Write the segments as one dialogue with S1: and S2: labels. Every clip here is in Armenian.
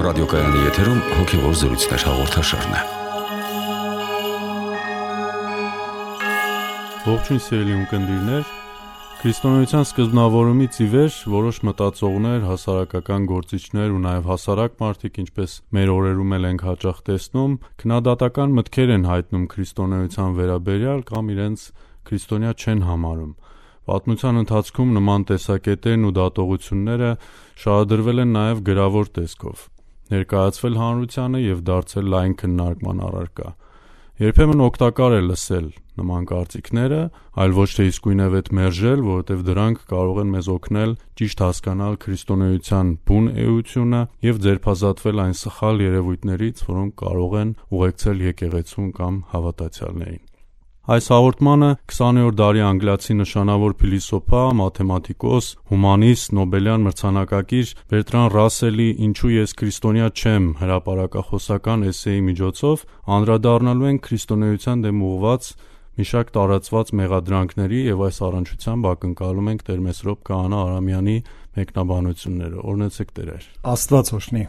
S1: ռադիոկայանի եթերում հոգևոր զրույցներ հաղորդաշարն է։
S2: Ողջույն սիրելի ունկնդիրներ, քրիստոնեության սկզբնավորումից ի վեր որոշ մտածողներ, հասարակական գործիչներ ու նաև հասարակ մարդիկ, ինչպես մեր օրերում էլ ենք հաճախ տեսնում, քննադատական մտքեր են հայտնում քրիստոնեության վերաբերյալ կամ իրենց քրիստոնյա չեն համարում։ Պատմության ընթացքում նման տեսակետերն ու դատողությունները շարադրվել են նաև գրավոր տեսքով, ներկայացվել հանրությանը և դարձել լայն քննարկման առարկա։ Երբեմն օգտակար է լսել նման կարծիքները, այլ ոչ թե իսկույնևեթ մերժել, որովհետև դրանք կարող են մեզ օգնել ճիշտ հասկանալ քրիստոնեության բուն էությունը և ձերբազատվել այն սխալ երևույթներից, որոնք կարող են ուղեկցել եկեղեցուն կամ հավատացյալներին։ Այս հաղորդմանը 20-րդ դարի անգլիացի նշանավոր փիլիսոփա, մաթեմատիկոս, հումանիստ, նոբելյան մրցանակակիր Բերտրան Ռասելի «Ինչու ես քրիստոնյա չեմ» հրապարակախոսական էսսեի միջոցով անդրադառնալու ենք քրիստոնեության դեմ ուղղված մի շարք տարածված մեղադրանքների և այս առնչությամբ ակնկալում ենք Տեր Մեսրոպ Քահանա Արամյանի մեկնաբանությունները։ Օրհնեցեք Տերեր։
S3: Աստված օրհնի։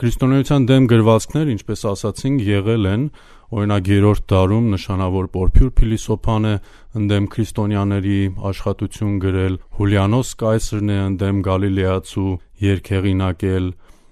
S2: Քրիստոնեության դեմ գրվածքներ, ինչպես ասացինք, եղել են, օրինակ 3-րդ դարում նշանավոր Պորփյուր փիլիսոփան է ընդդեմ քրիստոնյաների աշխատություն գրել, Հուլիանոս Կայսրն է ընդդեմ գալիլեացու երգ հեղինակել,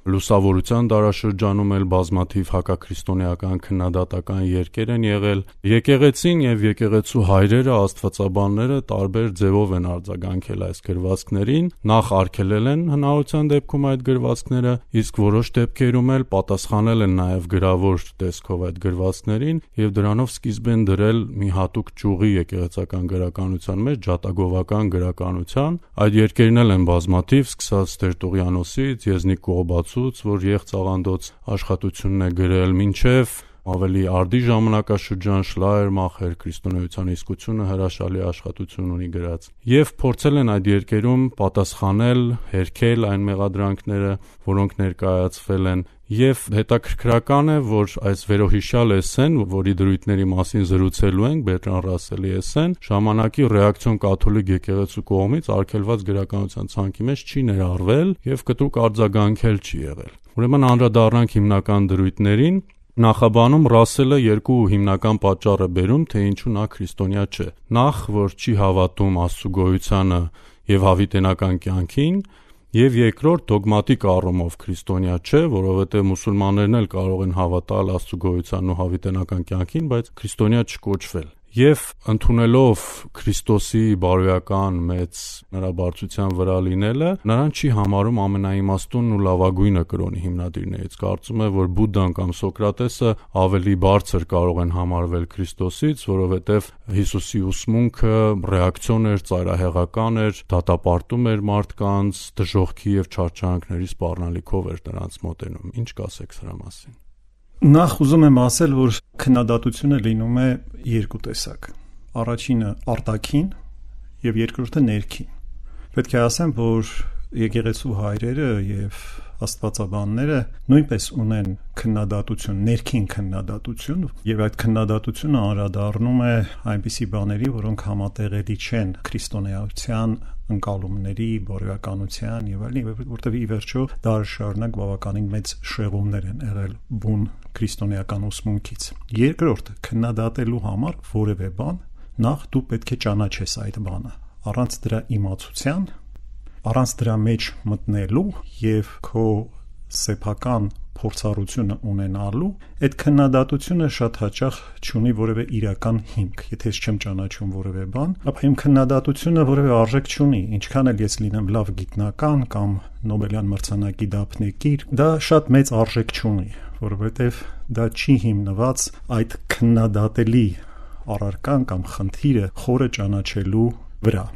S2: լուսավորության դարաշրջանում էլ բազմաթիվ հակաքրիստոնեական քննադատական երգեր են եղել։ Եկեղեցին և եկեղեցու հայրերը, աստվածաբանները տարբեր ձևով են արձագանքել այս գրվածքներին, նախ արգելել են հնարավորության դեպքում այդ գրվածքները, իսկ որոշ դեպքերում էլ պատասխանել են նաև գրավոր տեսքով այդ գրվածքներին և դրանով սկիզբ են դրել մի հատուկ ճյուղի եկեղեցական գրականության մեջ, ջատագովական գրականության։ Այդ երգերն էլ են բազմաթիվ, սկսած Տերտուղիանոսից, Եզնիկ Կողբացուց, որ եղծաղանդոց աշխատությունն է գրել, մինչև ավելի արդի ժամանակաշրջան Շլայերմախեր քրիստոնեության իսկությունը հրաշալի աշխատություն ունի գրած։ Եվ փորձել են այդ երկերում պատասխանել, հերքել այն մեղադրանքները, որոնք ներկայացվել են։ Եվ հետաքրքրական է, որ այս վերոհիշյալ էսսեն, որի դրույթների մասին զրուցելու ենք, Բերտրան Ռասելի էսսեն, ժամանակի ռեակցիոն կաթոլիկ եկեղեցու կողմից արգելված գրականության ցանկի մեջ չի ներառվել և կտրուկ արձագանքել չի եղել։ Ուրեմն անդրադառնանք հիմնական դրույթներին։ Նախաբանում Ռասելը երկու հիմնական պատճառ է բերում, թե ինչու նա քրիստոնյա չէ։ Նախ, որ չի հավատում Աստծու գոյությանը և հավիտենական կյանքին, և երկրորդ, դոգմատիկ առումով քրիստոնյա չէ, որովհետև մուսուլմաններն էլ կարող են հավատալ Աստծու գոյությանն ու հավիտենական կյանքին, բայց քրիստոնյա չկոչվել։ Եվ ընդունելով Քրիստոսի բարոյական մեծ նրա բարձրության վրա լինելը, նրան չի համարում ամենաիմաստունն ու լավագույնը կրոնի հիմնադիրներից։ Կարծում է, որ Բուդդան կամ Սոկրատեսը ավելի բարձր կարող են համարվել Քրիստոսից, որովհետև Հիսուսի ուսմունքը ռեակցիոն էր, ծայրահեղական էր, դատապարտում էր մարդկանց, դժոխքի և չարչարանքների սպառնալիքով էր նրանց մոտենում։ Ինչ կասեք սրա մասին։
S3: Նախ ուզում եմ ասել, որ քննադատությունը լինում է երկու տեսակ։ Առաջինը արտաքին և երկրորդը ներքին։ Պետք է ասեմ, որ եկեղեցու հայրերը և աստվածաբանները նույնպես ունեն քննադատություն, ներքին քննադատություն, և այդ քննադատությունը անդրադառնում է այնպիսի բաների, որոնք համատեղելի չեն քրիստոնեության ընկալումների, բարոյականության եւ այլն, որտեղ ի վերջո դարաշարունակ բավականին մեծ շեղումներ են եղել բուն քրիստոնեական ուսմունքից։ Երկրորդ, քննադատելու համար որևէ բան, նախ դու պետք է ճանաչես այդ բանը։ Առանց դրա իմացության, առանց դրա մեջ մտնելու եւ քո սեփական փորձառությունը ունենալու, այդ քննադատությունը շատ հաճախ չունի որևէ իրական հիմք։ Եթե ես չեմ ճանաչում որևէ բան, ապա իմ քննադատությունը որևէ արժեք չունի, ինչքան էլ ես լինեմ լավ գիտնական կամ Նոբելյան մրցանակի դափնեկիր, դա շատ մեծ արժեք չունի, որովհետև դա չի հիմնված այդ քննադատելի առարկան կամ խնդիրը խորը ճանաչելու վրա։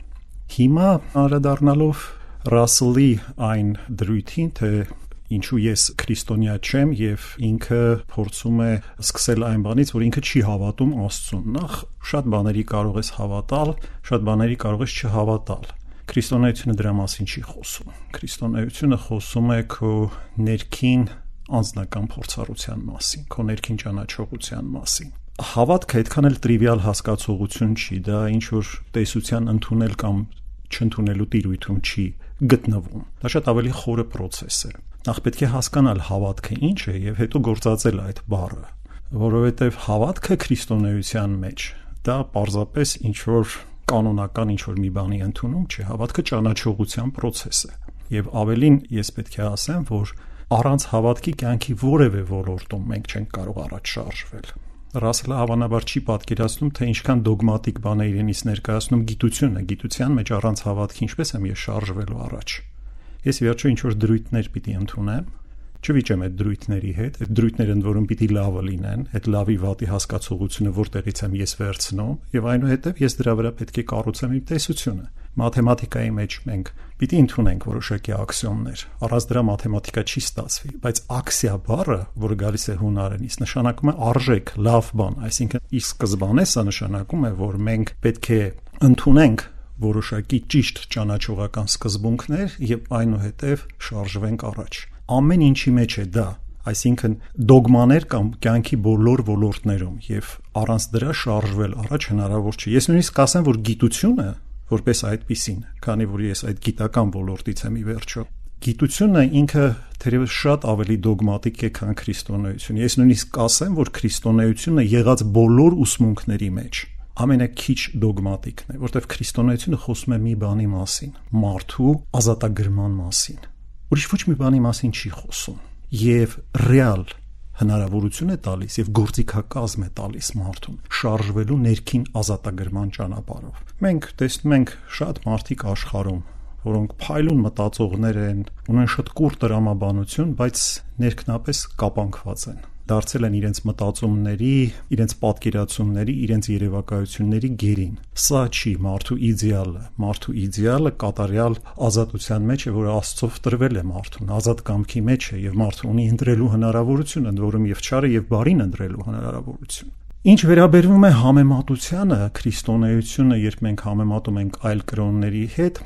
S3: Հիմա անդրադառնալով Ռասելի այն դրույթին, թե ինչու ես քրիստոնյա չեմ եւ ինքը փորձում է սկսել այն բանից, որ ինքը չի հավատում Աստծուն։ Նախ շատ բաների կարող ես հավատալ, շատ բաների կարող ես չհավատալ։ Քրիստոնեությունը դրա մասին չի խոսում։ Քրիստոնեությունը խոսում է քո ներքին անձնական փորձառության մասին, քո ներքին ճանաչողության մասին։ Հավատքը այդքան էլ տրիվիալ հասկացողություն չի, դա ինչ որ տեսության ընդունել կամ չընդունելու տիրույթում չի գտնվում։ Դա շատ ավելի խորը process է։ նախ պետք է հասկանալ հավատքը ինչ է եւ հետո գործածել այդ բառը, որովհետեւ հավատքը քրիստոնեության մեջ դա պարզապես ինչ որ կանոնական ինչ որ մի բանի ընդունում չէ, հավատքը ճանաչողության process է։ Եվ ավելին ես պետք է ասեմ, որ առանց հավատքի կյանքի որևէ ոլորտում մենք չենք կարող առաջ շարժվել։ Ռասելը հավանաբար չի պատկերացնում, թե ինչքան դոգմատիկ բան է իրենից ներկայացնում գիտությունը, գիտության մեջ առանց հավատքի ինչպես եմ ես շարժվելու առաջ։ Ես վերջո ինչ որ դրույթներ պիտի ընդունեմ, չվիճեմ այդ դրույթների հետ, այդ դրույթները ընդ որում պիտի լավը լինեն, այդ լավի վատի հասկացողությունը որտեղից եմ ես վերցնում, եւ այնուհետեւ ես դրա վրա պետք է կառուցեմ իմ տեսությունը։ Մաթեմատիկայի մեջ մենք պիտի ընդունենք որոշակի աքսիոմներ, առանց դրա մաթեմատիկա չի ստացվի, բայց աքսիա բառը, որը գալիս է հունարենից, նշանակում է արժեք, լավ բան, այսինքն ի սկզբանե սա նշանակում է, որ մենք պետք է ընդունենք որոշակի ճիշտ ճանաչողական սկզբունքներ եւ այնուհետեւ շարժվենք առաջ։ Ամեն ինչի մեջ է դա, այսինքն դոգմաներ կամ կյանքի բոլոր ոլորտներում եւ առանց դրա շարժվել առաջ հնարավոր չէ։ Ես նույնիսկ կասեմ, որ գիտությունը որպես այդպիսին, քանի որ ես այդ գիտական ոլորտից եմ ի վերջո, գիտությունը ինքը թերևս շատ ավելի դոգմատիկ է, քան քրիստոնեությունը։ Ես նույնիսկ կասեմ, որ քրիստոնեությունը եղած բոլոր ուսմունքների մեջ ամենաքիչ դոգմատիկն է, որտեղ քրիստոնեությունը խոսում է մի բանի մասին՝ մարդու ազատագրման մասին։ Ուրիշ ոչ մի բանի մասին չի խոսում եւ ռեալ հնարավորություն է տալիս եւ գործիքակազմ է տալիս մարդուն շարժվելու ներքին ազատագրման ճանապարհով։ Մենք տեսնում ենք շատ մարդիկ աշխարհում, որոնք փայլուն մտածողներ են, ունեն շատ կուռ տրամաբանություն, բայց ներքնապես կապանքված են, դարձել են իրենց մտածումների, իրենց պատկերացումների, իրենց երևակայությունների գերին։ Սա չի մարդու իդեալը։ Մարդու իդեալը կատարյալ ազատության մեջ է, որը Աստծով տրվել է մարդուն, ազատ կամքի մեջ է եւ մարդը ունի ընտրելու հնարավորություն, ընդ որում եւ չարը եւ բարին ընտրելու հնարավորություն։ Ինչ վերաբերվում է համեմատությանը, քրիստոնեությունը, երբ մենք համեմատում ենք այլ կրոնների հետ,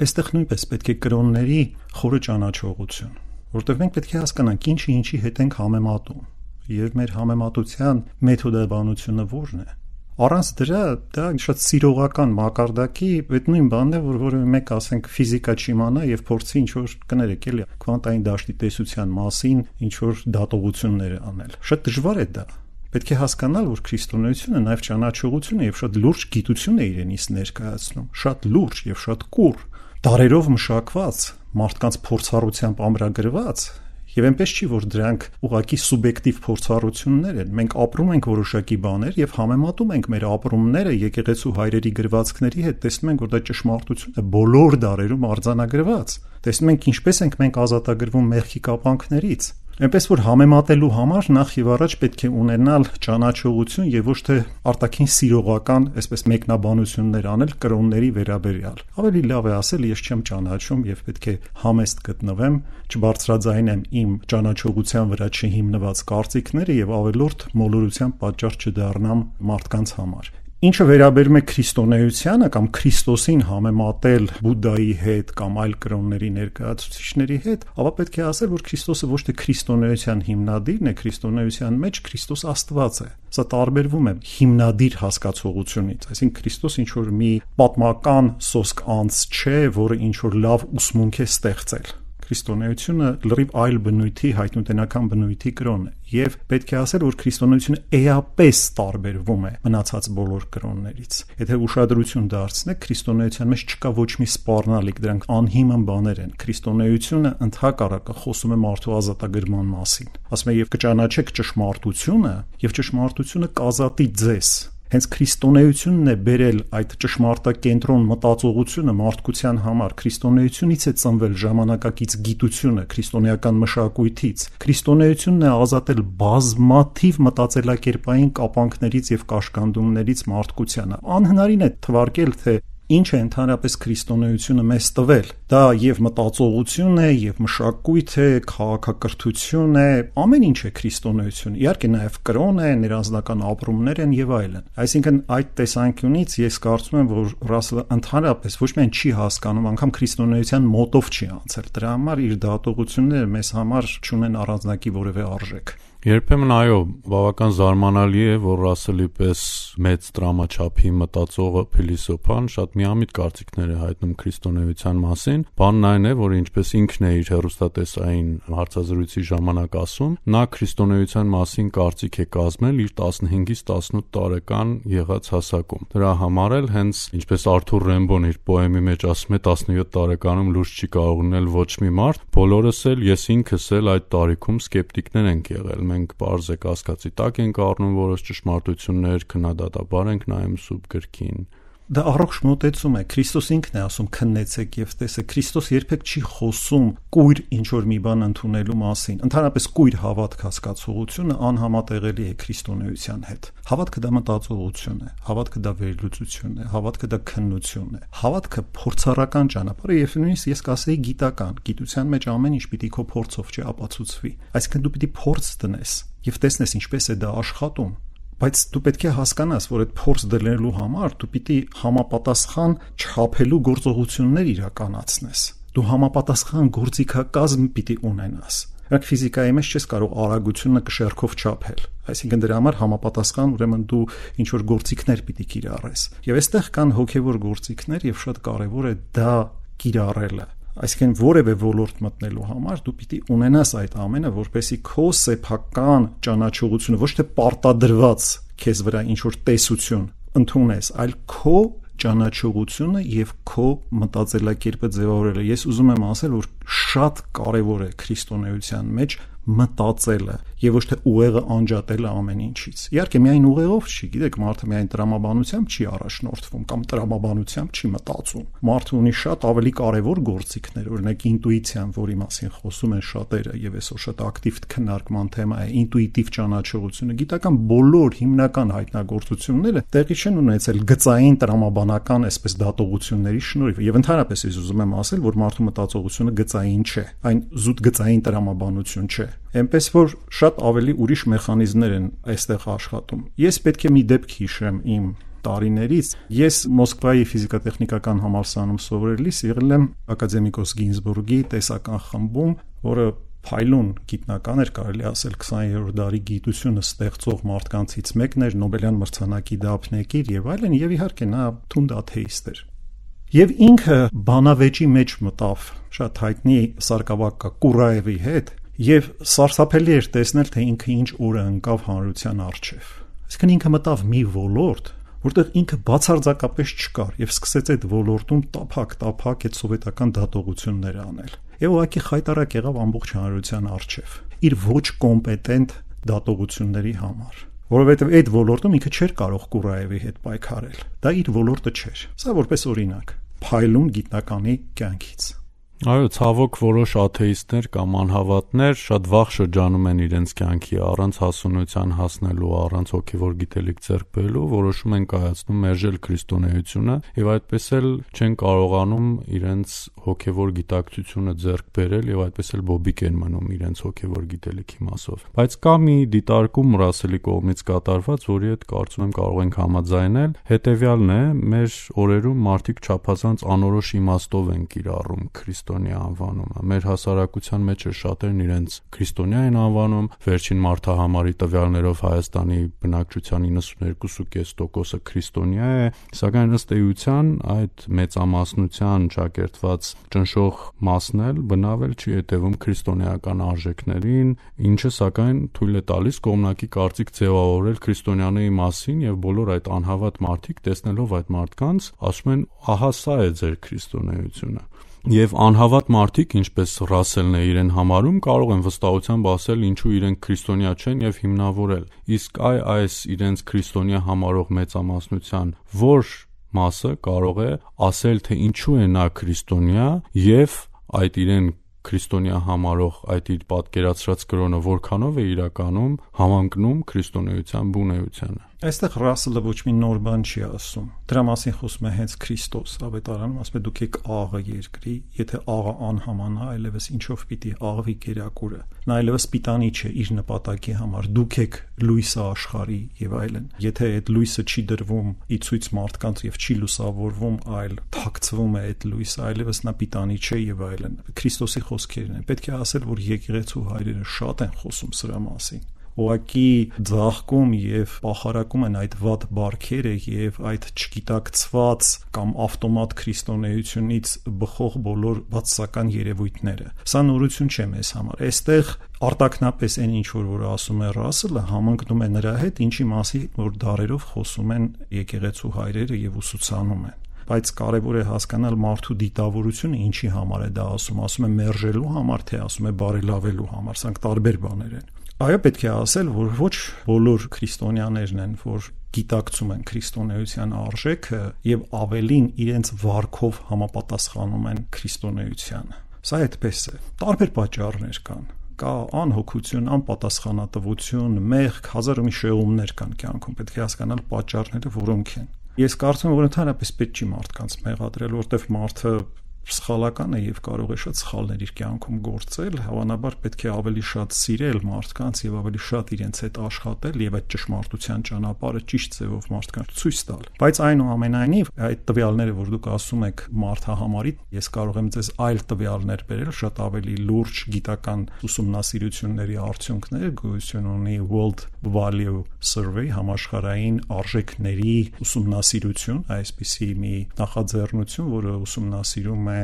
S3: այստեղ նույնպես պետք է կրոնների խորը ճանաչողություն, որտեղ մենք պետք է հասկանանք ինչի ինչի հետ ենք համեմատում եւ մեր համեմատության մեթոդաբանությունը որն է։ Առանց դրա դա շատ սիրողական մակարդակի այդ նույն բանն է, որ որևէ մեկ ասենք ֆիզիկա չիմանա եւ փորձի ինչ որ կներեք էլի քվանտային դաշտի տեսության մասին ինչ որ դատողություններ անել։ Շատ դժվար է դա։ Պետք է հասկանալ, որ քրիստոնեությունը նաեւ ճանաչողություն է եւ շատ լուրջ գիտություն է իրենից ներկայացնում, շատ լուրջ եւ շատ կուռ, դարերով մշակված, մարդկանց փորձառությամբ ամրագրված, եւ այնպես չի, որ դրանք ուղղակի սուբյեկտիվ փորձառություններ են։ Մենք ապրում ենք որոշակի բաներ եւ համեմատում ենք մեր ապրումները եկեղեցու հայրերի գրվածքների հետ, տեսնում ենք, որ դա ճշմարտություն է բոլոր դարերում արձանագրված։ Տեսնում ենք ինչպես ենք մենք ազատագրվում մեղքի կապանքներից։ Այնպես որ համեմատելու համար նախ եւ առաջ պետք է ունենալ ճանաչողություն եւ ոչ թե արտաքին սիրողական, այսպես մեկնաբանություններ անել կրոնների վերաբերյալ։ Ավելի լավ է ասել, ես չեմ ճանաչում եւ պետք է համեստ գտնվեմ, չբարձրաձայնեմ իմ ճանաչողության վրա չհիմնված կարծիքները եւ ավելորդ մոլորության պատճառ չդառնամ մարդկանց համար։ Ինչը վերաբերում է քրիստոնեությանը կամ Քրիստոսին համեմատել Բուդդայի հետ կամ այլ կրոնների ներկայացուցիչների հետ, ապա պետք է ասել, որ Քրիստոսը ոչ թե քրիստոնեության հիմնադիրն է, քրիստոնեության մեջ Քրիստոս Աստված է։ Սա տարբերվում է հիմնադիր հասկացողությունից, այսինքն Քրիստոս ինչ որ մի պատմական սոսկ անձ չէ, որը ինչ որ լավ ուսմունք է ստեղծել։ Քրիստոնեությունը լրիվ այլ բնույթի հայտնութենական բնույթի կրոն է եւ պետք է ասել, որ քրիստոնեությունը էապես տարբերվում է մնացած բոլոր կրոններից։ Եթե ուշադրություն դարձնեք, քրիստոնեության մեջ չկա ոչ մի սպառնալիք, դրանք անհիմն բաներ են։ Քրիստոնեությունը ընդհակառակը խոսում է մարդու ազատագրման մասին։ Ասում է եւ կճանաչեք ճշմարտությունը, եւ ճշմարտությունը կազատի ձեզ։ Հենց քրիստոնեությունն է բերել այդ ճշմարտակենտրոն մտածողությունը մարդկության համար։ Քրիստոնեությունից է ծնվել ժամանակակից գիտությունը, քրիստոնեական մշակույթից։ Քրիստոնեությունն է ազատել բազմաթիվ մտածելակերպային կապանքներից եւ կաշկանդումներից մարդկությանը։ Անհնարին է թվարկել, թե ինչ է ընդհանրապես քրիստոնեությունը մեզ տվել։ Դա եւ մտածողություն է, եւ մշակույթ է, քաղաքակրթություն է, ամեն ինչ է քրիստոնեությունը։ Իհարկե նաեւ կրոն է, ներանձնական ապրումներ են եւ այլն։ Այսինքն այդ տեսանկյունից ես կարծում եմ, որ Ռասելը ընդհանրապես ոչ միայն չի հասկանում, անգամ քրիստոնեության մոտով չի անցել։ Դրա համար իր դատողությունները մեզ համար չունեն առանձնակի որևէ արժեք։
S2: Երբեմն այո, բավական զարմանալի է, որ Ռասելի պես մեծ դրամաչափի մտածողը փիլիսոփան շատ միամիտ կարծիքներ է հայտնում քրիստոնեության մասին։ Բանն այն է, որ ինչպես ինքն է իր հեռուստատեսային հարցազրույցի ժամանակ ասում, նա քրիստոնեության մասին կարծիք է կազմել իր 15-ից 18 տարեկան եղած հասակում։ Դրա համար էլ հենց ինչպես Արթուր Ռեմբոն իր պոեմի մեջ ասում է, 17 տարեկանում լուրջ չի կարող ունել ոչ մի մարդ, բոլորս էլ, ես ինքս էլ այդ տարիքում սկեպտիկներ ենք եղել։ Մենք պարզ է կասկածի տակ ենք առնում որոշ ճշմարտություններ, քննադատաբար ենք նայում սուրբ գրքին։
S3: Դա առողջ մոտեցում է։ Քրիստոս ինքն է ասում քննեցեք եւ տեսեք։ Քրիստոս երբեք չի խոսում կույր ինչ որ մի բան ընդունելու մասին։ Ընդհանրապես կույր հավատք հասկացողությունը անհամատեղելի է քրիստոնեության հետ։ Հավատքը դա մտածողություն է, հավատքը դա վերլուծություն է, հավատքը դա քննություն է։ Հավատքը փորձառական ճանապարհ է եւ նույնիսկ ես կասեի գիտական։ Գիտության մեջ ամեն ինչ պիտի քո փորձով չապացուցվի։ Այսինքն դու պիտի փորձ դնես եւ տեսնես ինչպես է դա աշխատում։ Բայց դու պետք է հասկանաս, որ այդ փորձ դնելու համար դու պիտի համապատասխան չափելու գործողություններ իրականացնես։ Դու համապատասխան գործիքակազմ պիտի ունենաս։ Այդ ֆիզիկայի մեջ չես կարող արագությունը կշեռքով չափել։ Այսինքն դրա համար համապատասխան ուրեմն դու ինչ որ գործիքներ պիտի կիրառես։ Եվ այստեղ կան հոգևոր գործիքներ եւ շատ կարեւոր է դա կիրառելը։ Այսինքն որևէ ոլորտ մտնելու համար դու պիտի ունենաս այդ ամենը, որպեսզի քո սեփական ճանաչողությունը ոչ թե պարտադրված քեզ վրա ինչ որ տեսություն ընդունես, այլ քո ճանաչողությունը եւ քո մտածելակերպը ձևավորելը։ Ես ուզում եմ ասել, որ շատ կարեւոր է քրիստոնեության մեջ մտածելը եւ ոչ թե ուղեղը անջատելը ամեն ինչից։ Իհարկե միայն ուղեղով չի, գիտեք, մարդը միայն տրամաբանությամբ չի առաջնորդվում կամ տրամաբանությամբ չի մտածում։ Մարդը ունի շատ ավելի կարևոր գործիքներ, օրինակ ինտուիցիան, որի մասին խոսում են շատերը եւ այսօր շատ ակտիվ քննարկման թեմա է, ինտուիտիվ ճանաչողությունը։ Գիտական բոլոր հիմնական հայտնագործությունները տեղի չեն ունեցել գծային տրամաբանական այսպես դատողությունների շնորհիվ եւ ընդհանրապես ես ուզում եմ ասել, որ մարդու մտածողությունը գծային չէ, այն զուտ գծային տրամաբանություն չէ։ Էնպես որ շատ ավելի ուրիշ մեխանիզմներ են այստեղ աշխատում։ Ես պետք է մի դեպք հիշեմ իմ տարիներից։ Ես Մոսկվայի ֆիզիկա-տեխնիկական համալսարանում սովորելիս եղել եմ ակադեմիկոս Գինզբուրգի տեսական խմբում, որը փայլուն գիտնական էր, կարելի ասել 20-րդ դարի գիտությունը ստեղծող մարդկանցից մեկն էր, Նոբելյան մրցանակի դափնեկիր եւ այլն, եւ իհարկե նա թունդ աթեիստ էր։ Եվ ինքը բանավեճի մեջ մտավ շատ հայտնի սարկավակա Կուրաևի հետ եւ սարսափելի էր տեսնել, թե ինքը ինչ օրը ընկավ հանրության առջև։ Այսինքն ինքը մտավ մի ոլորտ, որտեղ ինքը բացարձակապես չկար եւ սկսեց այդ ոլորտում տափակ այդ սովետական դատողությունները անել։ Եվ ուղղակի խայտարակ եղավ ամբողջ հանրության առջև իր ոչ կոմպետենտ դատողությունների համար, որովհետեւ այդ ոլորտում ինքը չէր կարող Կուրաևի հետ պայքարել։ Դա իր ոլորտը չէր։ Սա որպես օրինակ փայլուն գիտնականի կյանքից։
S2: Այո, ցավոք որոշ աթեիստներ կամ անհավատներ շատ վաղ շրջանում են իրենց կյանքի առանց հասունության հասնելու, առանց հոգևոր գիտելիք ձեռք բերելու, որոշում են կայացնում մերժել քրիստոնեությունը եւ այդպես էլ չեն կարողանում իրենց հոգևոր գիտակցությունը ձեռք բերել եւ այդպես էլ բոբիկ են մնում իրենց հոգևոր գիտելիքի մասով։ Բայց կա մի դիտարկում Ռասելի կողմից կատարված, որի հետ կարծում եմ կարող ենք համաձայնել, հետեւյալն է՝ մեր օրերում մարդիկ չափազանց անորոշ իմաստով են կիրառում քրիստոնյա անվանումը։ Մեր հասարակության մեջ շատերն իրենց քրիստոնյա են անվանում, վերջին մարդահամարի տվյալներով Հայաստանի բնակչության 92.5%-ը քրիստոնյա է, սակայն ըստ էության այդ մեծամասնության ճակերտված ճնշող մասն էլ բնավ էլ չի հետևում քրիստոնեական արժեքներին, ինչը սակայն թույլ է տալիս կողմնակի կարծիք ձևավորել քրիստոնյաների մասին եւ բոլոր այդ անհավատ մարդիկ տեսնելով այդ մարդկանց ասում են ահա սա է ձեր քրիստոնեությունը։ Եվ անհավատ մարդիկ, ինչպես Ռասելն է իրեն համարում, կարող են վստահությամբ ասել ինչու իրենք քրիստոնյա չեն եւ հիմնավորել։ Իսկ այս իրենց քրիստոնյա համարող մեծամասնության որ մասը կարող է ասել, թե ինչու է նա քրիստոնյա եւ այդ իրեն քրիստոնյա համարող այդ իր պատկերացրած կրոնը որքանով է իրականում համընկնում քրիստոնեության բունեությանը։
S3: Այստեղ Ռասելը ոչ մի նոր բան չի ասում։ Դրա մասին խոսում է հենց Քրիստոս ավետարանում, ասում է դուք եք աղը երկրի, եթե աղը անհամանա, այլևս ինչով պիտի աղվի կերակուրը։ Նա այլևս պիտանի չէ իր նպատակի համար։ Դուք եք լույսը աշխարհի եւ այլն։ Եթե այդ լույսը չի դրվում ի ցույց մարդկանց եւ չի լուսավորվում, այլ թաքցվում է այդ լույսը, այլևս նա պիտանի չէ եւ այլն։ Քրիստոսի խոսքերն են։ Պետք է ասել, որ եկեղեցու հայրերը շատ են խոսում սրա մասին, ուղղակի ձաղկում եւ պախարակում են այդ վատ բարքերը եւ այդ չգիտակցված կամ ավտոմատ քրիստոնեությունից բխող բոլոր բացասական երևույթները։ Սա նորություն չէ մեզ համար։ Այստեղ արտակնապես այն ինչ որ ասում է Ռասելը համընկնում է նրա հետ, ինչի մասի որ դարերով խոսում են եկեղեցու հայրերը եւ ուսուցանում են։ Բայց կարևոր է հասկանալ մարդու դիտավորությունը ինչի համար է դա ասում է մերժելու համար, թե ասում է բարելավելու համար, սրանք տարբեր բաներ են։ Այո, պետք է ասել, որ ոչ բոլոր քրիստոնյաներն են, որ գիտակցում են քրիստոնեության արժեքը եւ ավելին իրենց վարքով համապատասխանում են քրիստոնեությանը։ Սա այդպես է։ Տարբեր պատճառներ կան։ Կա անհոգություն, անպատասխանատվություն, մեղք, հազար ու մի շեղումներ կան կյանքում։ Պետք է հասկանալ պատճառները որոնք են։ Ես կարծում եմ, որ ընդհանրապես պետք չի մարդկանց մեղադրել, որտեղ մարդը սխալական է եւ կարող է շատ սխալներ իր կյանքում գործել, հավանաբար պետք է ավելի շատ սիրել մարդկանց եւ ավելի շատ իրենց հետ աշխատել եւ այդ ճշմարտության ճանապարհը ճիշտ ձևով մարդկանց ցույց տալ։ Բայց այնուամենայնիվ այդ տվյալները, որ դուք ասում եք մարդահամարի, ես կարող եմ ձեզ այլ տվյալներ բերել, շատ ավելի լուրջ գիտական ուսումնասիրությունների արդյունքներ, գոյություն ունի World Value Survey, համաշխարհային արժեքների ուսումնասիրություն, այսպիսի մի նախաձեռնություն, որը ուսումնասիրում է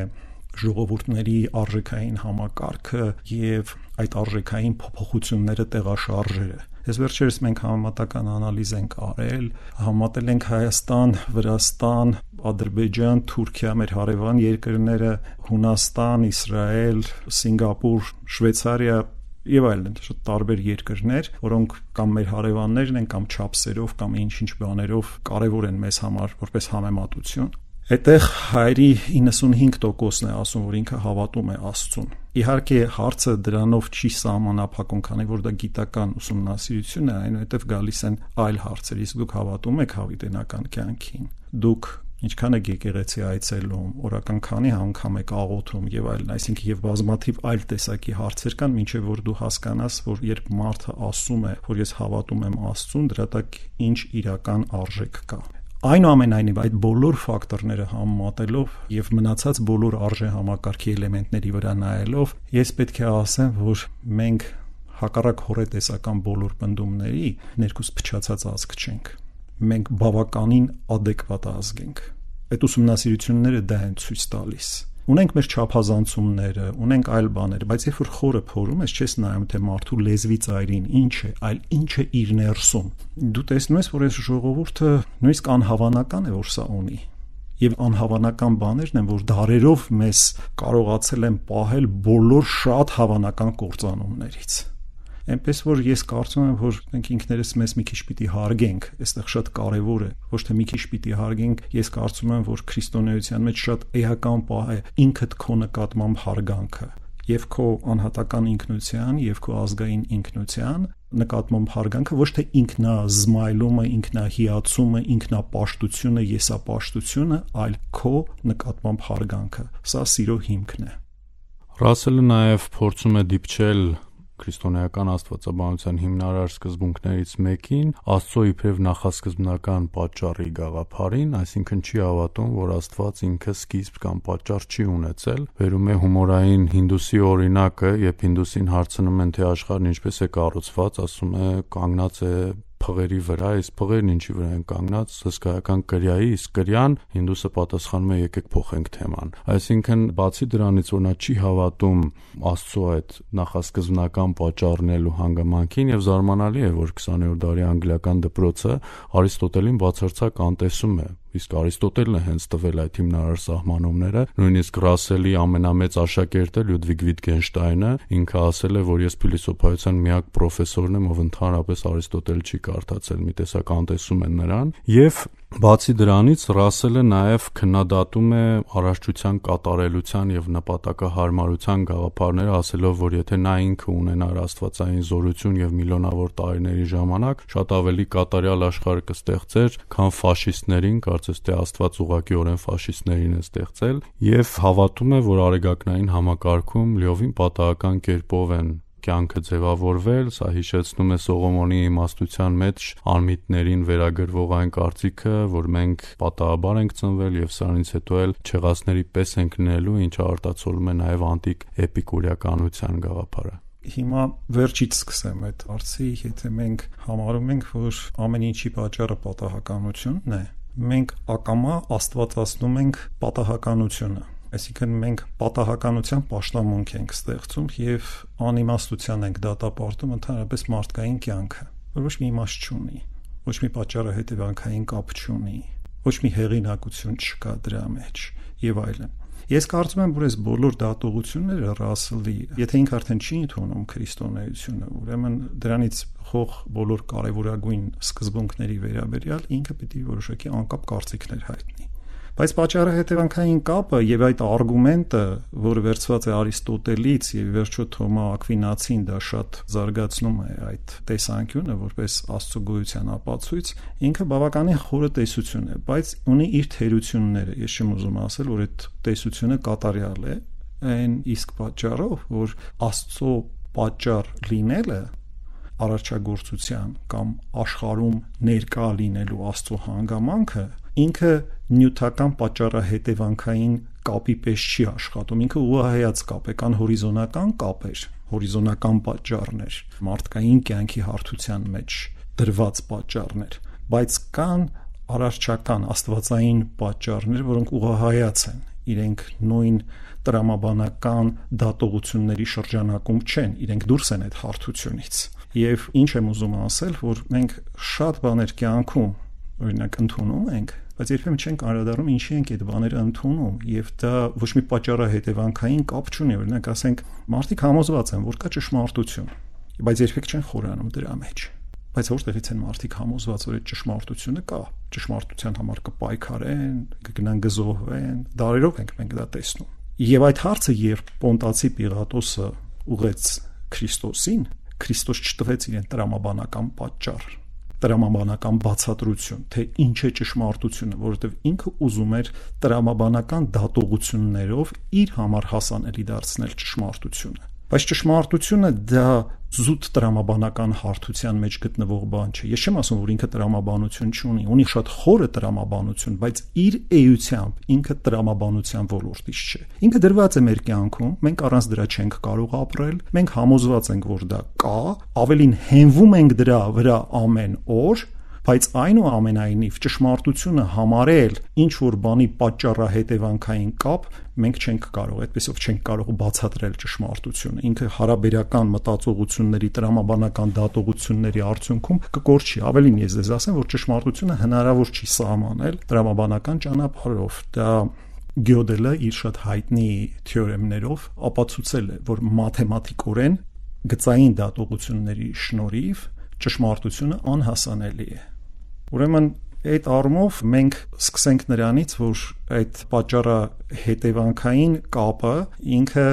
S3: ժողովուրդների արժեքային համակարգը եւ այդ արժեքային փոփոխությունները տեղաշարժերը։ Այս վերջերս մենք համեմատական անալիզ ենք արել, համատել ենք Հայաստան, Վրաստան, Ադրբեջան, Թուրքիա, մեր հարևան երկրները, Հունաստան, Իսրայել, Սինգապուր, Շվեյցարիա եւ այլն, շատ տարբեր երկրներ, որոնք կամ մեր հարևաններն են, կամ չափսերով, կամ ինչ-ինչ բաներով կարեւոր են մեզ համար որպես համեմատություն։ Այդտեղ հայերի 95%-ն է ասում, որ ինքը հավատում է Աստծուն։ Իհարկե հարցը դրանով չի սահմանափակում, քանի որ դա գիտական ուսումնասիրություն է, այնուհետև գալիս են այլ հարցեր, իսկ դուք հավատում եք հավիտենական կյանքին։ Դուք ինչքան եք եկեղեցի այցելում, օրական քանի անգամ եք աղոթում եւ այլն, այսինքն եւ բազմաթիվ այլ տեսակի հարցեր կան, մինչեւ որ դու հասկանաս, որ երբ մարդը ասում է, որ ես հավատում եմ Աստծուն, դրա տակ ինչ իրական արժեք կա։ Այնուամենայնիվ այդ բոլոր ֆակտորները համեմատելով եւ մնացած բոլոր արժեհամակարգի էլեմենտների վրա նայելով, ես պետք է ասեմ, որ մենք հակառակ հորետեսական բոլոր պնդումների ներքուս փչացած ազգ չենք։ Մենք բավականին adekvat ազգ ենք։ Այդ ուսումնասիրությունները դա են ցույց տալիս։ Ունենք մեր չափազանցումները, ունենք այլ բաներ, բայց երբ որ խորը փորում ես, չես նայում թե մարդու լեզվի ծայրին ինչ է, այլ ինչ է իր ներսում։ Դու տեսնում ես, որ այս ժողովուրդը նույնիսկ անհավանական է, որ սա ունի։ Եվ անհավանական բաներն են, որ դարերով մեզ կարողացել են պահել բոլոր շատ հավանական կործանումներից։ Այնպես որ ես կարծում եմ, որ մենք ինքներս մեզ մի քիչ պիտի հարգենք, այստեղ շատ կարևոր է, ոչ թե մի քիչ պիտի հարգենք, ես կարծում եմ, որ քրիստոնեության մեջ շատ էական պահ է ինքդ քո նկատմամբ հարգանքը, եւ քո անհատական ինքնության, եւ քո ազգային ինքնության նկատմամբ հարգանքը, ոչ թե ինքնազմայլումը, ինքնահիացումը, ինքնապաշտությունը, եսապաշտությունը, այլ քո նկատմամբ հարգանքը։ Սա սիրո հիմքն է։
S2: Ռասելը նաև փորձում է դիպչել քրիստոնեական աստվածաբանության հիմնարար սկզբունքներից մեկին Աստծո իբրև նախասկզբնական պատճառի գաղափարին, այսինքն չի հավատում, որ Աստված ինքը սկիզբ կամ պատճառ չի ունեցել։ Վերում է հումորային հինդուսի օրինակը, երբ հինդուսին հարցնում են, թե աշխարհն ինչպես է կառուցված, ասում է կանգնած է փղերի վրա, իսկ փղերն ինչի վրա են կանգնած, հսկայական կրյայի, իսկ կրյան հինդուսը պատասխանում է եկեք փոխենք թեման։ Այսինքն բացի դրանից, որ նա չի հավատում Աստծո այդ նախասկզբնական պատճառն ու հանգամանքին, եւ զարմանալի է, որ 20-րդ դարի անգլիական դպրոցը Արիստոտելին բացարձակ անտեսում է։ Իսկ Արիստոտելն է հենց տվել այդ հիմնարար սահմանումները, նույնիսկ Ռասելի ամենամեծ աշակերտը Լյուդվիգ Վիտգենշտայնը ինքը ասել է, որ ես փիլիսոփայության միակ պրոֆեսորն եմ, ով ընդհանրապես Արիստոտել չի կարդացել, մի տեսակ անտեսում են նրան, եւ բացի դրանից Ռասելը նաև քննադատում է առողջության կատարելության եւ նպատակահարմարության գաղափարները, ասելով, որ եթե նա ինքը ունենար աստվածային զորություն եւ միլիոնավոր տարիների ժամանակ, շատ ավելի կատարյալ աշխարհ կստեղծեր, քան ֆաշիստներին, կարծես թե Աստված ուղղակիորեն ֆաշիստներին է ստեղծել, եւ հավատում է, որ արեգակնային համակարգում լիովին պատահական կերպով են կյանքը ձևավորվել, սա հիշեցնում է Սողոմոնի իմաստության մեջ անմիտներին վերագրվող այն կարծիքը, որ մենք պատահաբար ենք ծնվել եւ սրանից հետո էլ չեղածների պես ենք լինելու, ինչը արտացոլում է նաեւ անտիկ էպիկուրիականության գաղափարը։
S3: Հիմա վերջից սկսեմ այդ հարցի, եթե մենք համարում ենք, որ ամեն ինչի պատճառը պատահականությունն է, մենք ակամա աստվածացնում ենք պատահականությունը, այսինքն մենք պատահականության պաշտամունք ենք ստեղծում եւ անիմաստության ենք դատապարտում ընդհանրապես մարդկային կյանքը, որ ոչ մի իմաստ չունի, ոչ մի պատճառը հետևանքային կապ չունի, ոչ մի հեղինակություն չկա դրա մեջ եւ այլն։ Ես կարծում եմ, որ այս բոլոր դատողությունները Ռասելի, եթե ինքը արդեն չի ընդունում քրիստոնեությունը, ուրեմն դրանից խող բոլոր կարևորագույն սկզբունքների վերաբերյալ ինքը պիտի որոշակի անկապ կարծիքներ հայտնի։ Բայց պատճառը հետևանքային կապը եւ այդ արգումենտը, որը վերցված է Արիստոտելից եւ վերջո Թոմա Ակվինացին դա շատ զարգացնում է այդ տեսանկյունը որպես Աստծո գոյության ապացույց, ինքը բավականին խորը տեսություն է, բայց ունի իր թերությունները։ Ես չեմ ուզում ասել, որ այդ տեսությունը կատարյալ է, այն իսկ պատճառով, որ Աստծո պատճառ լինելը արարչագործության կամ աշխարհում ներկա լինելու Աստծո հանգամանքը ինքը նյութական պատճառահետևանքային կապի պես չի աշխատում, ինքը ուղղահայաց կապ է, կան հորիզոնական կապեր, հորիզոնական պատճառներ, մարդկային կյանքի հարթության մեջ դրված պատճառներ, բայց կան արարչական աստվածային պատճառներ, որոնք ուղղահայաց են, իրենք նույն տրամաբանական դատողությունների շրջանակում չեն, իրենք դուրս են այդ հարթությունից։ Եվ ինչ եմ ուզում ասել, որ մենք շատ բաներ կյանքում օրինակ ընդունում ենք, բայց երբեմն չենք անդրադառնում ինչի ենք այդ բաները ընդունում, եւ դա ոչ մի պատճառահետևանքային կապ չունի, օրինակ ասենք մարդիկ համոզված են, որ կա ճշմարտություն, բայց երբեք չեն խորանում դրա մեջ։ Բայց որտեղից են մարդիկ համոզված, որ այդ ճշմարտությունը կա, ճշմարտության համար կպայքարեն, կգնան գզոհվեն, դարերով ենք մենք դա տեսնում։ Եվ այդ հարցը, երբ Պոնտացի Պիղատոսը ուղեց Քրիստոսին, Քրիստոս չտվեց իրեն տրամաբանական պատճառ, տրամաբանական բացատրություն, թե ինչ է ճշմարտությունը, որովհետև ինքը ուզում էր տրամաբանական դատողություններով իր համար հասանելի դարձնել ճշմարտությունը։ Բայց ճշմարտությունը դա զուտ տրամաբանական հարթության մեջ գտնվող բան չէ։ Ես չեմ ասում, որ ինքը տրամաբանություն չունի, ունի շատ խորը տրամաբանություն, բայց իր էությամբ ինքը տրամաբանության ոլորտից չէ։ Ինքը դրված է մեր կյանքում, մենք առանց դրա չենք կարող ապրել, մենք համոզված ենք, որ դա կա, ավելին հենվում ենք դրա վրա ամեն օր, բայց այնուամենայնիվ ճշմարտությունը համարել ինչ որ բանի պատճառահետևանքային կապ մենք չենք կարող, այդպեսով չենք կարող բացատրել ճշմարտությունը։ Ինքը հարաբերական մտածողությունների, տրամաբանական դատողությունների արդյունքում կկորչի։ Ավելին ես ձեզ ասեմ, որ ճշմարտությունը հնարավոր չի սահմանել տրամաբանական ճանապարհով։ Դա Գյոդելը իր շատ հայտնի թեորեմներով ապացուցել է, որ մաթեմատիկորեն գծային դատողությունների շնորհիվ ճշմարտությունը անհասանելի է։ Ուրեմն այդ առումով մենք սկսենք նրանից, որ այդ պատճառը հետևանքային կապը ինքը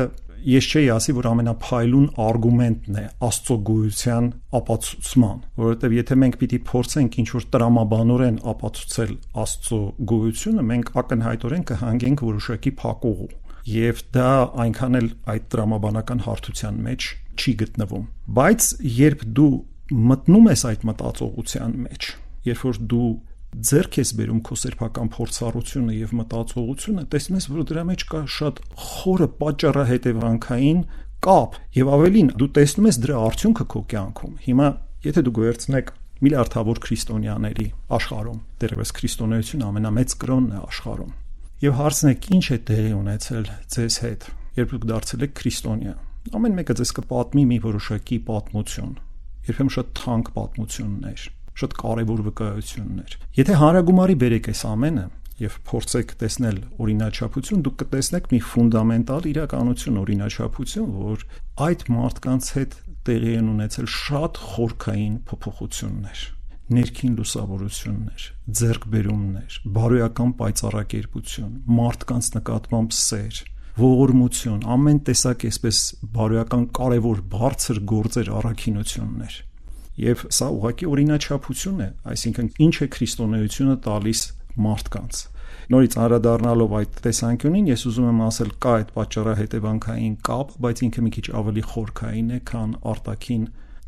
S3: ես չէի ասի, որ ամենափայլուն արգումենտն է Աստծո գոյության ապացուցման, որովհետև եթե մենք պիտի փորձենք ինչ-որ տրամաբանորեն ապացուցել Աստծո գոյությունը, մենք ակնհայտորեն կհանգենք որոշակի փակուղու, եւ դա այնքան էլ այդ տրամաբանական հարթության մեջ չի գտնվում։ Բայց երբ դու մտնում ես այդ մտածողության մեջ, երբ որ դու ձեռք ես բերում քո սեփական փորձառությունը եւ մտածողությունը, տեսնում ես, որ դրա մեջ կա շատ խորը պատճառահետևանքային կապ եւ ավելին դու տեսնում ես դրա արդյունքը քո կյանքում։ Հիմա եթե դու գերցնեք միլիարդավոր քրիստոնյաների աշխարհում, դեռևս քրիստոնեությունը ամենամեծ կրոնն է աշխարհում, եւ հարցնեք ինչ է տեղի ունեցել ձեզ հետ, երբ դուք դարձել եք քրիստոնյա, ամեն մեկը ձեզ կպատմի մի որոշակի պատմություն, երբեմն շատ թանկ պատմություններ, շատ կարևոր վկայություններ։ Եթե հանրագումարի բերեք այս ամենը եւ փորձեք տեսնել օրինաչափություն, դուք կտեսնեք մի ֆունդամենտալ իրականություն, օրինաչափություն, որ այդ մարդկանց հետ տեղի են ունեցել շատ խորքային փոփոխություններ, ներքին լուսավորություններ, ձեռքբերումներ, բարոյական պայծառակերպություն, մարդկանց նկատմամբ սեր, ողորմություն, ամեն տեսակ այսպես բարոյական կարևոր բարձր գործեր, առաքինություններ։ Եվ սա ուղղակի օրինաչափություն է, այսինքն ինչ է քրիստոնեությունը տալիս մարդկանց։ Նորից անդրադառնալով այդ տեսանկյունին, ես ուզում եմ ասել, կա այդ պատճառահետևանքային կապ, բայց ինքը մի քիչ ավելի խորքային է, քան արտաքին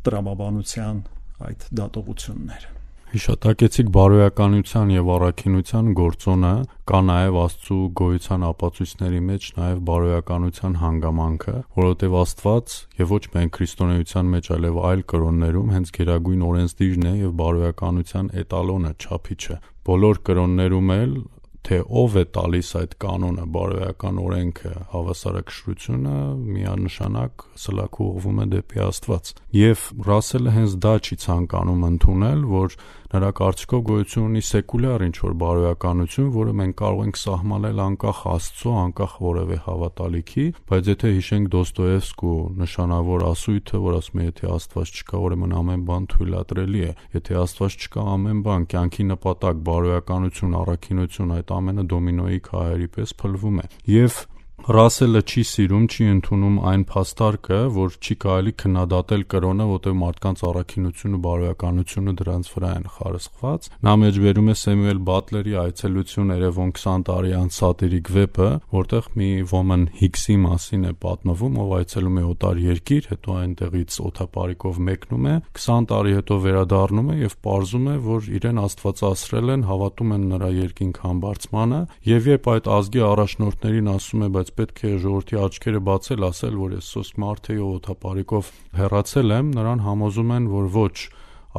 S3: տրամաբանության այդ դատողությունները։
S2: Հիշատակեցիք բարոյականության եւ առաքինության գործոնը, կա նաեւ Աստծո գոյության ապացույցների մեջ նաեւ բարոյականության հանգամանքը, որովհետեւ Աստված եւ ոչ միայն քրիստոնեության մեջ, այլև այլ կրոններում հենց գերագույն օրենսդիրն է եւ բարոյականության էտալոնը, չափիչը։ Բոլոր կրոններում էլ թե ով է տալիս այդ կանոնը, բարոյական օրենքը, հավասարակշռությունը, միանշանակ սլաք ուղղվում է դեպի Աստված։ Եվ Ռասելը հենց դա չի ցանկանում ընդունել, որ նրա կարծիքով գոյություն ունի սեկուլյար ինչ-որ բարոյականություն, որը մենք կարող ենք սահմանել անկախ Աստծո, անկախ որևէ հավատալիքի, բայց եթե հիշենք Դոստոևսկու նշանավոր ասույթը, որ ասում է, եթե Աստված չկա, ուրեմն ամեն բան թույլատրելի է, եթե Աստված չկա, ամեն բան, կյանքի նպատակ, բարոյականություն, առաքինություն, այդ ամենը դոմինոյի քահերի պես փլվում է։ Եվ Ռասելը չի սիրում, չի ընդունում այն փաստարկը, որ չի կարելի քննադատել կրոնը, որտեղ մարդկանց առաքինությունը, բարոյականությունը դրանց վրա են խարսխված։ Նա մեջբերում է Սեմյուել Բատլերի այցելություն երևոն 20 տարի անց սատիրիկ վեպը, որտեղ մի ոմն Հիքսի մասին է պատմվում, ով այցելում է օտար երկիր, հետո այնտեղից օթապարիկով մեկնում է, 20 տարի հետո վերադառնում է եւ պարզում է, որ իրեն աստվածասրել են, հավատում են նրա երկինք համբարձմանը, եւ երբ այդ ազգի առաջնորդներին ասում է, բայց պետք է ժողովրդի աչքերը բացել, ասել, որ ես սոսկ մարդ եի օթապարիկով հեռացել եմ, նրան համոզում են, որ ոչ,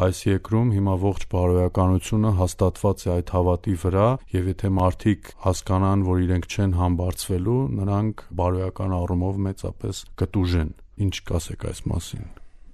S2: այս երկրում հիմա ողջ բարոյականությունը հաստատված է այդ հավատի վրա, եւ եթե մարդիկ հասկանան, որ իրենք չեն համբարձվելու, նրանք բարոյական առումով մեծապես կտուժեն։ Ինչ կասեք այս մասին։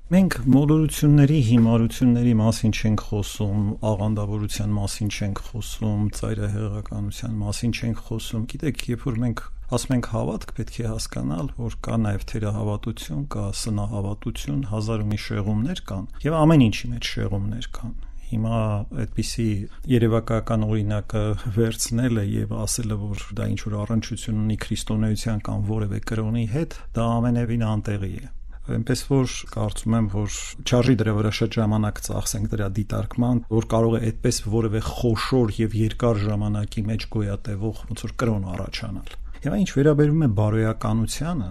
S3: Մենք մոլորությունների, հիմարությունների մասին չենք խոսում, աղանդավորության մասին չենք խոսում, ծայրահեղականության մասին չենք խոսում։ Գիտեք, երբ որ մենք ասում ենք հավատք, պետք է հասկանալ, որ կա նաև թերահավատություն, կա սնահավատություն, հազար ու մի շեղումներ կան, եւ ամեն ինչի մեջ շեղումներ կան։ Հիմա այդպիսի երևակայական օրինակը վերցնելը եւ ասելը, որ դա ինչ որ առնչություն ունի քրիստոնեության կամ որևէ կրոնի հետ, դա ամենևին անտեղի է։ Այնպես որ կարծում եմ, որ չարժի դրա վրա շատ ժամանակ ծախսենք դրա դիտարկման, որ կարող է այդպես որևէ խոշոր եւ երկար ժամանակի մեջ գոյատևող ոնց որ կրոն առաջանալ։ Եվ ինչ վերաբերում է բարոյականությանը,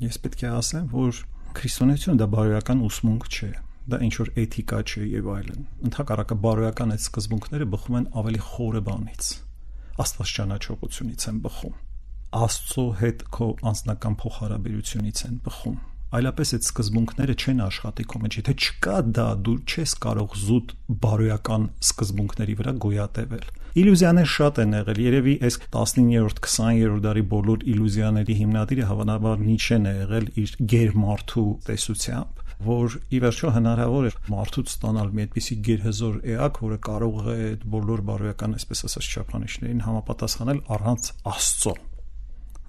S3: ես պետք է ասեմ, որ քրիստոնեությունը դա բարոյական ուսմունք չէ, դա ինչ որ էթիկա չէ եւ այլն։ Ընդհակառակը բարոյական այդ սկզբունքները բխում են ավելի խորը բանից, Աստված ճանաչողությունից են բխում, Աստծո հետ քո անձնական փոխհարաբերությունից են բխում։ Այլապես այդ սկզբունքները չեն աշխատի քո մեջ, եթե չկա դա, դու չես կարող զուտ բարոյական սկզբունքների վրա գոյատևել։ Իլյուզիաներ շատ են եղել, երևի այս 19-րդ, 20-րդ դարի բոլոր իլյուզիաների հիմնադիրը հավանաբար Նիչեն է եղել իր գերմարդու տեսությամբ, որ ի վերջո հնարավոր է մարդուց ստանալ մի այդպիսի գերհզոր էակ, որը կարող է այդ բոլոր բարոյական, այսպես ասած, չափանիշներին համապատասխանել առանց Աստծո,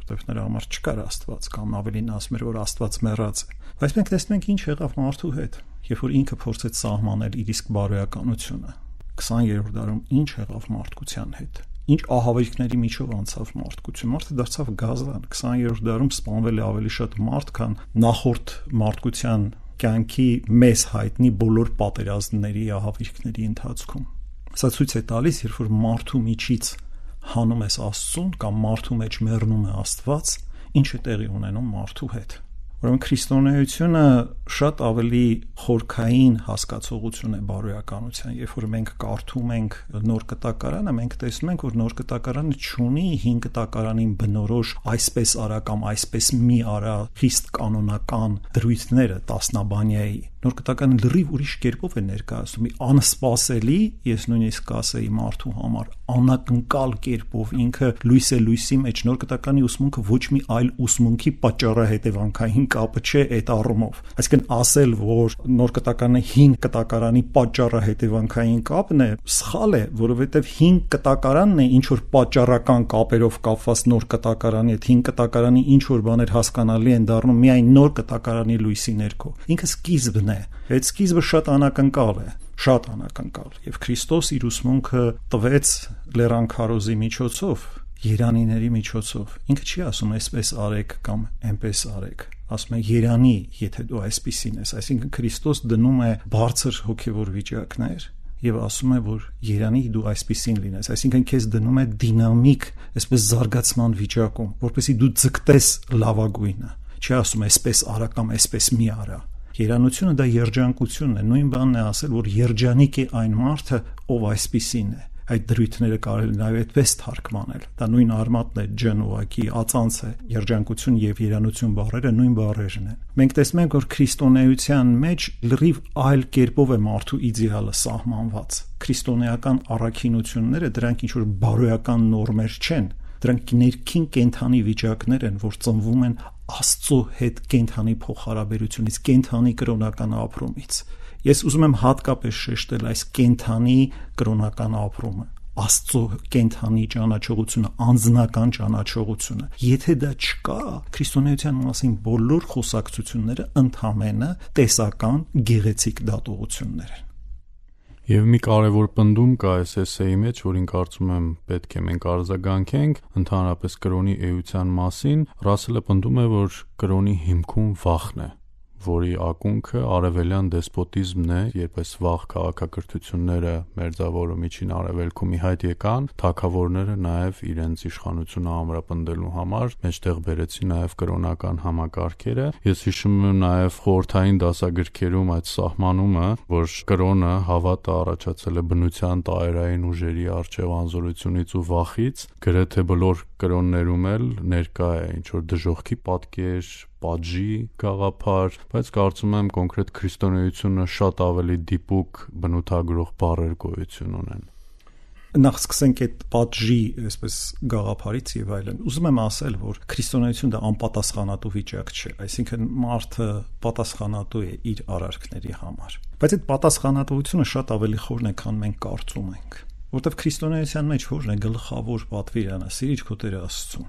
S3: որտեղ նրա համար չկար Աստված, կամ ավելին ասում էր, որ Աստված մեռած է։ Բայց մենք տեսնում ենք ինչ եղավ մարդու հետ, երբ որ ինքը փորձեց սահմանել իր իսկ բարոյականությունը։ 20-րդ դարում ինչ եղավ մարդկության հետ, ինչ ահավերքների միջով անցավ մարդկություն, մարդը դարձավ գազան, 20-րդ դարում սպանվել է ավելի շատ մարդ, քան նախորդ մարդկության կյանքի մեծ հայտնի բոլոր պատերազմների, ահավերքների ընթացքում։ Սա ցույց է տալիս, երբ որ մարդու միջից հանում ես Աստծուն կամ մարդու մեջ մեռնում է Աստված, ինչ է տեղի ունենում մարդու հետ։ Ուրեմն քրիստոնեությունը շատ ավելի խորքային հասկացողություն է բարոյականության, երբ որ մենք կարդում ենք նոր կտակարանը, մենք տեսնում ենք, որ նոր կտակարանը չունի հին կտակարանին բնորոշ այսպես արա կամ այսպես մի արա խիստ կանոնական դրույթները տասնաբանյայի։ Նոր կտակարանը լրիվ ուրիշ կերպով է ներկայացնում, մի անսպասելի, ես նույնիսկ կասեի մարդու համար անակնկալ կերպով, ինքը լույս է լույսի մեջ։ Նոր կտակարանի ուսմունքը ոչ մի այլ ուսմունքի պատճառահետևանքային կապը չէ այդ առումով։ Այսինքն ասել, որ նոր կտակարանը հին կտակարանի պատճառահետևանքային կապն է, սխալ է, որովհետև հին կտակարանն է ինչ որ պատճառական կապերով կապված նոր կտակարանի հետ, հին կտակարանի ինչ որ բաներ հասկանալի են դառնում միայն նոր կտակարանի լույսի ներքո։ Ինքը սկիզբն է, այդ սկիզբը շատ անակնկալ է, շատ անակնկալ, եւ Քրիստոս իր ուսմունքը տվեց Լեռան քարոզի միջոցով, երանիների միջոցով։ Ինքը չի ասում այսպես արեք կամ այնպես արեք, ասում է երանի, եթե դու այսպիսին ես, այսինքն Քրիստոս դնում է բարձր հոգևոր վիճակներ եւ ասում է, որ երանի դու այսպիսին լինես, այսինքն քեզ դնում է դինամիկ, այսպես զարգացման վիճակում, որպեսզի դու ձգտես լավագույնը։ Չի ասում այսպես արա կամ այսպես մի արա, Երանությունը դա երջանկությունն է, նույն բանն է ասել, որ երջանիկ է այն մարդը, ով այսպիսին է։ Այդ դրույթները կարելի նաև այդպես թարգմանել։ Դա նույն արմատն է, ջն ուղակի ածանց է, երջանկություն եւ երանություն բառերը նույն բառերն են։ Մենք տեսնում ենք, որ քրիստոնեության մեջ լրիվ այլ կերպով է մարդու իդեալը սահմանված։ Քրիստոնեական առաքինությունները դրանք ինչ որ բարոյական նորմեր չեն, դրանք ներքին կենթանի վիճակներ են, որ ծնվում են Աստծո հետ կենթանի փոխհարաբերությունից, կենթանի կրոնական ապրումից։ Ես ուզում եմ հատկապես շեշտել այս կենթանի կրոնական ապրումը, Աստծո կենթանի ճանաչողությունը, անձնական ճանաչողությունը։ Եթե դա չկա, քրիստոնեության մասին բոլոր խոսակցությունները ընդհանրապես տեսական գեղեցիկ դատողություններ են։
S2: Եվ մի կարևոր պնդում կա այս էսեի մեջ, որին կարծում եմ պետք է մենք արձագանքենք, ընդհանրապես կրոնի էության մասին, Ռասելը պնդում է, որ կրոնի հիմքում վախն է, որի ակունքը արևելյան դեսպոտիզմն է, երբ այս վաղ քաղաքակրթությունները մերձավոր ու միջին արևելքում ի հայտ եկան, թագավորները նաև իրենց իշխանությունը ամրապնդելու համար մեջտեղ բերեցին նաև կրոնական համակարգերը։ Ես հիշում եմ նաև խորհրդային դասագրքերում այդ սահմանումը, որ կրոնը հավատը առաջացել է բնության տարերային ուժերի առջև անզորությունից ու վախից, գրեթե բոլոր կրոններում էլ ներկա է ինչ որ դժոխքի պատկեր, պատժի գաղափար, բայց կարծում եմ կոնկրետ քրիստոնեությունը շատ ավելի դիպուկ բնութագրող բառեր գոյություն ունեն։
S3: Նախ սկսենք այդ պատժի այսպես գաղափարից եւ այլն։ Ուզում եմ ասել, որ քրիստոնեությունը դա անպատասխանատու վիճակ չէ, այսինքն մարդը պատասխանատու է իր արարքների համար։ Բայց այդ պատասխանատվությունը շատ ավելի խորն է, քան մենք կարծում ենք, որովհետեւ քրիստոնեության մեջ որն է գլխավոր պատվիրանը՝ սիրիր քո Տեր Աստծուն։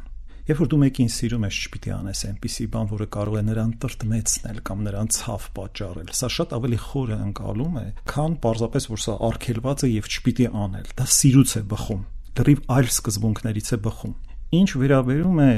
S3: Երբ որ դու մեկին սիրում ես, չպիտի անես այնպիսի բան, որը կարող է նրան տրտմեցնել կամ նրան ցավ պատճառել։ Սա շատ ավելի խոր ընկալում է, քան պարզապես որ սա արգելված է եւ չպիտի անել։ Դա սիրուց է բխում, դեռ այլ սկզբունքներից է բխում։ Ինչ վերաբերում է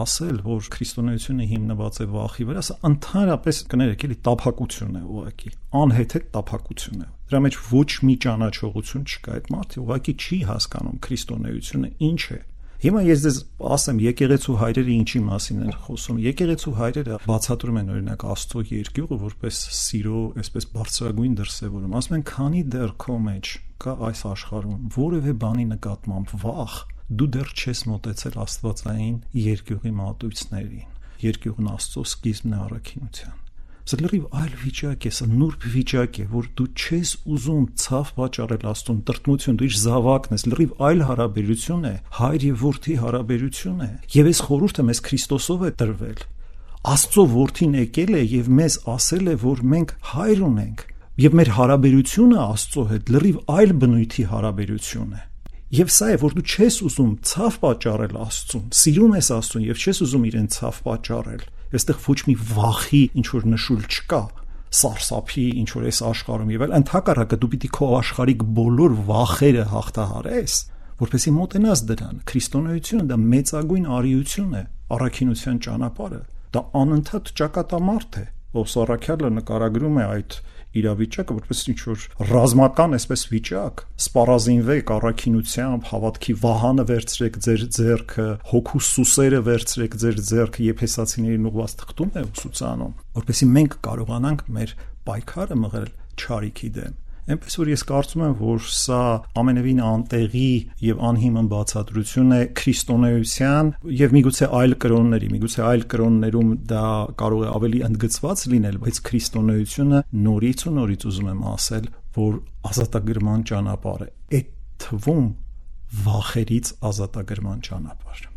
S3: ասել, որ քրիստոնեությունը հիմնված է վախի վրա, սա ընդհանրապես կներեք, էլի տափակություն է ուղղակի, անհեթեթ տափակություն է։ Դրա մեջ ոչ մի ճանաչողություն չկա։ Այդ մարդը ուղղակի չի հասկանում քրիստոնեությունը ինչ է։ Հիմա ես ձեզ ասեմ, եկեղեցու հայրերը ինչի մասին են խոսում։ Եկեղեցու հայրերը բացատրում են օրինակ Աստծո երկյուղը որպես սիրո, այսպես բարձրագույն դրսևորում։ Ասում են, քանի դեռ քո մեջ կա այս աշխարհում որևէ բանի նկատմամբ վախ, դու դեռ չես մոտեցել աստվածային երկյուղի մատույցներին։ Երկյուղն Աստծո սկիզբն է առաքինության։ Սա լրիվ այլ վիճակ է, սա նուրբ վիճակ է, որ դու չես ուզում ցավ պատճառել Աստծուն, տրտմություն, դու իր զավակն ես, լրիվ այլ հարաբերություն է, հայր եւ որդի հարաբերություն է։ Եվ այս խորհուրդը մեզ Քրիստոսով է տրվել։ Աստծո որդին եկել է եւ մեզ ասել է, որ մենք հայր ունենք, եւ մեր հարաբերությունը Աստծո հետ լրիվ այլ բնույթի հարաբերություն է։ Եվ սա է, որ դու չես ուզում ցավ պատճառել Աստծուն, սիրում ես Աստծուն եւ չես ուզում իրեն ցավ պատճառել։ Այստեղ ոչ մի վախի ինչ որ նշույլ չկա, սարսափի ինչ որ այս աշխարհում եւ այլ, ընդհակառակը դու պիտի քո աշխարհիկ բոլոր վախերը հաղթահարես, որպեսզի մոտենաս դրան։ Քրիստոնեությունը դա մեծագույն արիություն է, առաքինության ճանապարհը, դա անընդհատ ճակատամարտ է, ով Սառաքյալը նկարագրում է այդ իրավիճակը որպես ինչ որ ռազմական այսպես վիճակ, սպառազինվեք առաքինությամբ, հավատքի վահանը վերցրեք ձեր ձեռքը, հոգու սուսերը վերցրեք ձեր ձեռքը, Եփեսացիներին ուղված թղթում է ուսուցանում, որպեսզի մենք կարողանանք մեր պայքարը մղել չարիքի դեմ։ Այնպես որ ես կարծում եմ, որ սա ամենևին անտեղի եւ անհիմն բացատրություն է քրիստոնեության եւ միգուցե այլ կրոններում դա կարող է ավելի ընդգծված լինել, բայց քրիստոնեությունը նորից ու նորից ուզում եմ ասել, որ ազատագրման ճանապարհ է, այդ թվում վախերից ազատագրման ճանապարհ։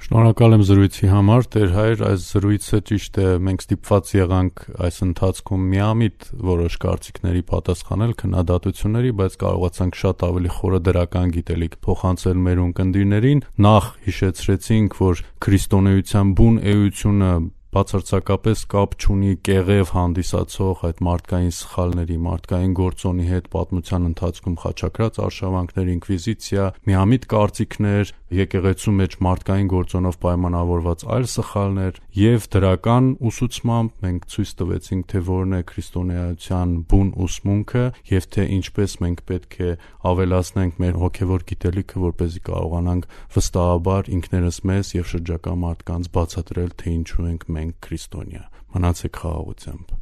S2: Շնորհակալ եմ զրույցի համար, Տեր հայր, այս զրույցը ճիշտ է, մենք ստիպված եղանք այս ընթացքում միամիտ որոշ կարծիքների պատասխանել քննադատությունների, բայց կարողացանք շատ ավելի խորը դրական գիտելիք փոխանցել մեր ունկնդիրներին։ Նախ հիշեցրեցինք, որ քրիստոնեության բուն էությունը բացարձակապես կապ չունի կեղև հանդիսացող այդ մարդկային սխալների, մարդկային գործոնի հետ պատմության ընթացքում խաչակրած արշավանքներ, ինկվիզիցիա, միամիտ կարծիքներ, եկեղեցու մեջ մարդկային գործոնով պայմանավորված այլ սխալներ եւ դրական ուսուցմամբ մենք ցույց տվեցինք, թե որն է քրիստոնեության բուն ուսմունքը եւ թե ինչպես մենք պետք է ավելացնենք մեր հոգեվոր գիտելիքը, որպեսզի կարողանանք վստահաբար ինքներս մեզ եւ շրջակա մարդկանց բացատրել, թե ինչու ենք մենք քրիստոնյա։ Մնացեք խաղաղությամբ։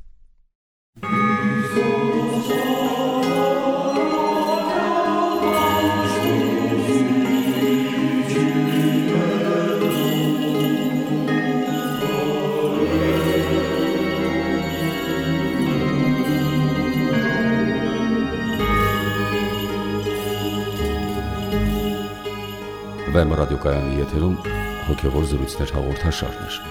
S1: Վեմ ռադիոկայանի եթերում հոգևոր զրույցներ հաղորդաշարներ։